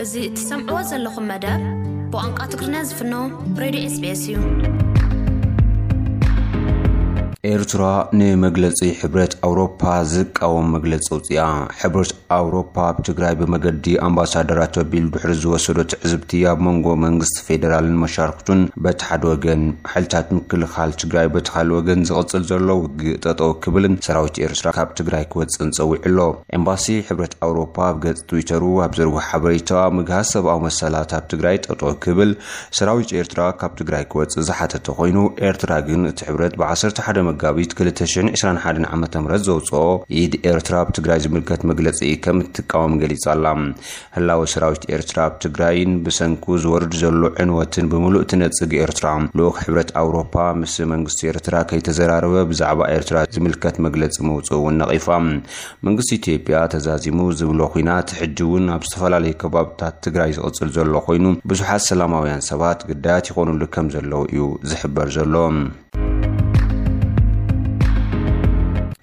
እዚ እትሰምዕዎ ዘለኹም መደብ ብቋንቋ ትግርኛ ዝፍኖ ሬድዮ ኤስቢኤስ እዩ። ኤርትራ ንመግለጺ ሕብረት ኣውሮፓ ዝቃወም መግለጺ ኣውጽኣ። ሕብረት ኣውሮፓ ኣብ ትግራይ ብመገዲ ኣምባሳደራት ኣቢሉ ድሕሪ ዝወሰዶ ትዕዝብቲ፣ ኣብ መንጎ መንግስቲ ፌደራልን መሻርክቱን በቲ ሓደ ወገን፣ ሓይልታት ምክልኻል ትግራይ በቲ ካልእ ወገን ዝቕጽል ዘሎ ውግእ ጠጠው ክብልን ሰራዊት ኤርትራ ካብ ትግራይ ክወጽእን ጸዊዑ ኣሎ። ኤምባሲ ሕብረት ኣውሮፓ ኣብ ገጽ ትዊተሩ ኣብ ዘርግሖ ሓበሬታ፣ ምግሃስ ሰብኣዊ መሰላት ኣብ ትግራይ ጠጠው ክብል ሰራዊት ኤርትራ ካብ ትግራይ ክወጽእ ዝሓተተ ኮይኑ፣ ኤርትራ ግን እቲ ሕብረት ብ ዓሰርተ ሓደ መጋቢት ክልተ ሽሕን ዕስራን ሓደን ዓመተ ምህረት ዘውጽኦ ኢድ ኤርትራ ኣብ ትግራይ ዝምልከት መግለጺ ከም እትቃወም ገሊጻ ኣላ። ህላወ ሰራዊት ኤርትራ ኣብ ትግራይን ብሰንኩ ዝወርድ ዘሎ ዕንወትን ብምሉእ ትነጽግ ኤርትራ፣ ልኡኽ ሕብረት ኣውሮፓ ምስ መንግስቲ ኤርትራ ከይተዘራረበ ብዛዕባ ኤርትራ ዝምልከት መግለጺ ምውጽኡ እውን ነቒፋ። መንግስቲ ኢትዮጵያ ተዛዚሙ ዝብሎ ኲናት ሕጂ እውን ኣብ ዝተፈላለዩ ከባብታት ትግራይ ዝቕጽል ዘሎ ኮይኑ፣ ብዙሓት ሰላማውያን ሰባት ግዳያት ይኾኑሉ ከም ዘለዉ እዩ ዝሕበር ዘሎ።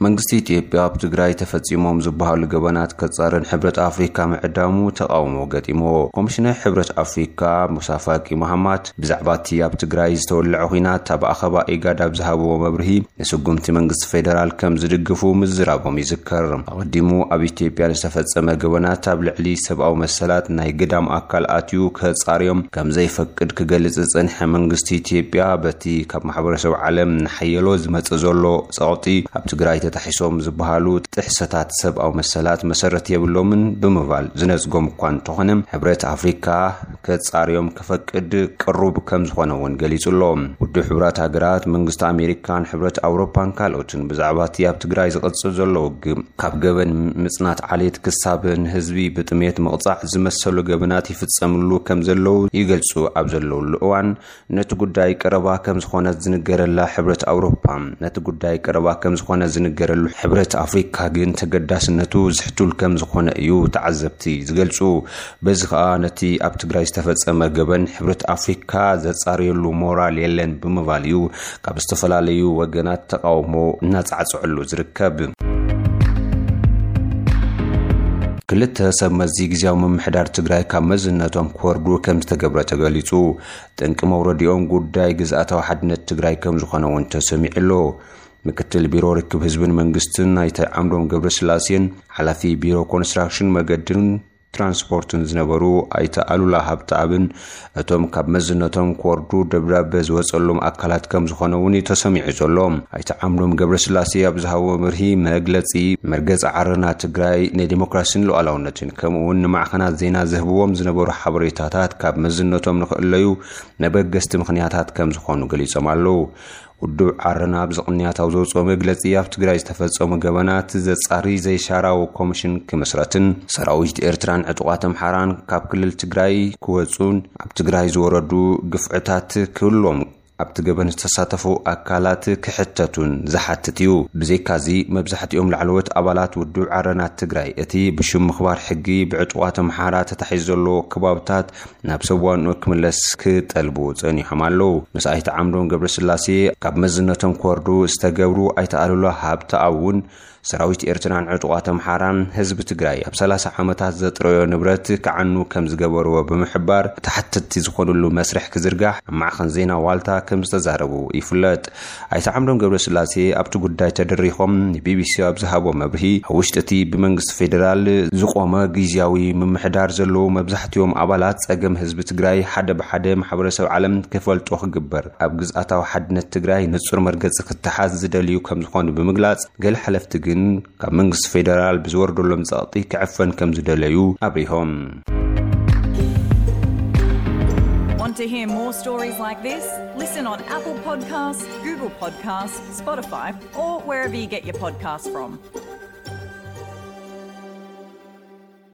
መንግስቲ ኢትዮጵያ ኣብ ትግራይ ተፈጺሞም ዝበሃሉ ገበናት ከጻርን ሕብረት ኣፍሪካ ምዕዳሙ ተቓውሞ ገጢምዎ። ኮሚሽነር ሕብረት ኣፍሪካ ሙሳ ፋቂ መሃማት ብዛዕባ እቲ ኣብ ትግራይ ዝተወለዐ ኲናት ኣብ ኣኸባ ኢጋድ ኣብ ዝሃብዎ መብርሂ፣ ንስጉምቲ መንግስቲ ፌደራል ከም ዝድግፉ ምዝራቦም ይዝከር። ኣቐዲሙ ኣብ ኢትዮጵያ ንዝተፈጸመ ገበናት ኣብ ልዕሊ ሰብኣዊ መሰላት ናይ ግዳም ኣካል ኣትዩ ከጻርዮም ከም ዘይፈቅድ ክገልጽ ዝጸንሐ መንግስቲ ኢትዮጵያ፣ በቲ ካብ ማሕበረሰብ ዓለም ንሓየሎ ዝመጽእ ዘሎ ጸቕጢ ኣብ ትግራይ ተታሒሶም ዝበሃሉ ጥሕሰታት ሰብኣዊ መሰላት መሰረት የብሎምን ብምባል ዝነጽጎም እኳ እንተኾነ፣ ሕብረት ኣፍሪካ ከጻርዮም ክፈቅድ ቅሩብ ከም ዝኾነ እውን ገሊጹ ኣሎ። ውድብ ሕቡራት ሃገራት፣ መንግስቲ ኣሜሪካን ሕብረት ኣውሮፓን ካልኦትን ብዛዕባ እቲ ኣብ ትግራይ ዝቕጽል ዘሎ ውግእ፣ ካብ ገበን ምጽናት ዓሌት ክሳብ ንህዝቢ ብጥሜት ምቕጻዕ ዝመሰሉ ገበናት ይፍጸምሉ ከም ዘለዉ ይገልጹ ኣብ ዘለውሉ እዋን፣ ነቲ ጉዳይ ቀረባ ከም ዝኾነ ዝንገረላ ሕብረት ኣውሮፓ፣ ነቲ ጉዳይ ቀረባ ከም ዝኾነ ዝንገረሉ ሕብረት ኣፍሪካ ግን ተገዳስነቱ ዝሕቱል ከም ዝኾነ እዩ ተዓዘብቲ ዝገልጹ። በዚ ኸኣ ነቲ ኣብ ትግራይ ዝተፈጸመ ገበን ሕብረት ኣፍሪካ ዘጻርየሉ ሞራል የለን ብምባል እዩ ካብ ዝተፈላለዩ ወገናት ተቓውሞ እናጻዕጽዐሉ ዝርከብ። ክልተ ሰብ መዚ ግዝያዊ ምምሕዳር ትግራይ ካብ መዝነቶም ክወርዱ ከም ዝተገብረ ተገሊጹ። ጠንቂ መውረዲኦም ጉዳይ ግዝኣታዊ ሓድነት ትግራይ ከም ዝኾነ እውን ተሰሚዑ ኣሎ። ምክትል ቢሮ ርክብ ህዝብን መንግስትን ኣይተ ዓምዶም ገብረስላሴን፣ ሓላፊ ቢሮ ኮንስትራክሽን መገድን ትራንስፖርትን ዝነበሩ ኣይተ ኣሉላ ሃብተኣብን፣ እቶም ካብ መዝነቶም ክወርዱ ደብዳበ ዝወጸሎም ኣካላት ከም ዝኾነ እውን እዩ ተሰሚዑ ዘሎ። ኣይተ ዓምዶም ገብረስላሴ ኣብ ዝሃብዎ መርሂ መግለጺ፣ መርገጺ ዓረና ትግራይ ንዲሞክራሲን ሉዓላውነትን ከምኡ እውን ንማዕኸናት ዜና ዝህብዎም ዝነበሩ ሓበሬታታት ካብ መዝነቶም ንኽእለዩ መበገስቲ ምኽንያታት ከም ዝኾኑ ገሊጾም ኣለዉ። ውድብ ዓረና ኣብዚ ቅንያት ኣብ ዘውፅኦ መግለፂ፣ ኣብ ትግራይ ዝተፈፀሙ ገበናት ዘፃሪ ዘይሻራዊ ኮሚሽን ክምስረትን ሰራዊት ኤርትራን ዕጡቓት ኣምሓራን ካብ ክልል ትግራይ ክወፁን ኣብ ትግራይ ዝወረዱ ግፍዕታት ክህልዎም ኣብቲ ገበን ዝተሳተፉ ኣካላት ክሕተቱን ዝሓትት እዩ። ብዘይካዚ፣ መብዛሕትኦም ላዕለዎት ኣባላት ውድብ ዓረና ትግራይ እቲ ብሽም ምኽባር ሕጊ ብዕጡቓት ኣምሓራ ተታሒዙ ዘሎ ከባብታት ናብ ሰብ ዋንኡ ክምለስ ክጠልቡ ጸኒሖም ኣለዉ። ምስ ኣይተ ዓምዶም ገብረስላሴ ካብ መዝነቶም ክወርዱ ዝተገብሩ ኣይተ ኣሉላ ሃብተኣብ እውን ሰራዊት ኤርትራን ዕጡቓት ኣምሓራን ህዝቢ ትግራይ ኣብ ሰላሳ ዓመታት ዘጥረዮ ንብረት ክዓኑ ከም ዝገበርዎ ብምሕባር፣ ተሓተትቲ ዝኾኑሉ መስርሕ ክዝርጋሕ ኣብ ማዕኸን ዜና ዋልታ ከም ዝተዛረቡ ይፍለጥ። ኣይተ ዓምዶም ገብረስላሴ ኣብቲ ጉዳይ ተደሪኾም ንቢቢሲ ኣብ ዝሃቦ መብርሂ፣ ኣብ ውሽጢ እቲ ብመንግስቲ ፌደራል ዝቖመ ግዝያዊ ምምሕዳር ዘለዉ መብዛሕትኦም ኣባላት ጸገም ህዝቢ ትግራይ ሓደ ብሓደ ማሕበረሰብ ዓለም ክፈልጦ ክግበር፣ ኣብ ግዝኣታዊ ሓድነት ትግራይ ንጹር መርገጺ ክተሓዝ ዝደልዩ ከም ዝኾኑ ብምግላጽ፣ ገለ ሓለፍቲ ግን ካብ መንግስቲ ፌደራል ብዝወርደሎም ጸቕጢ ክዕፈን ከም ዝደለዩ ኣብሪሆም። Want to hear more stories like this? Listen on Apple Podcasts, Google Podcasts, Spotify, or wherever you get your podcasts from.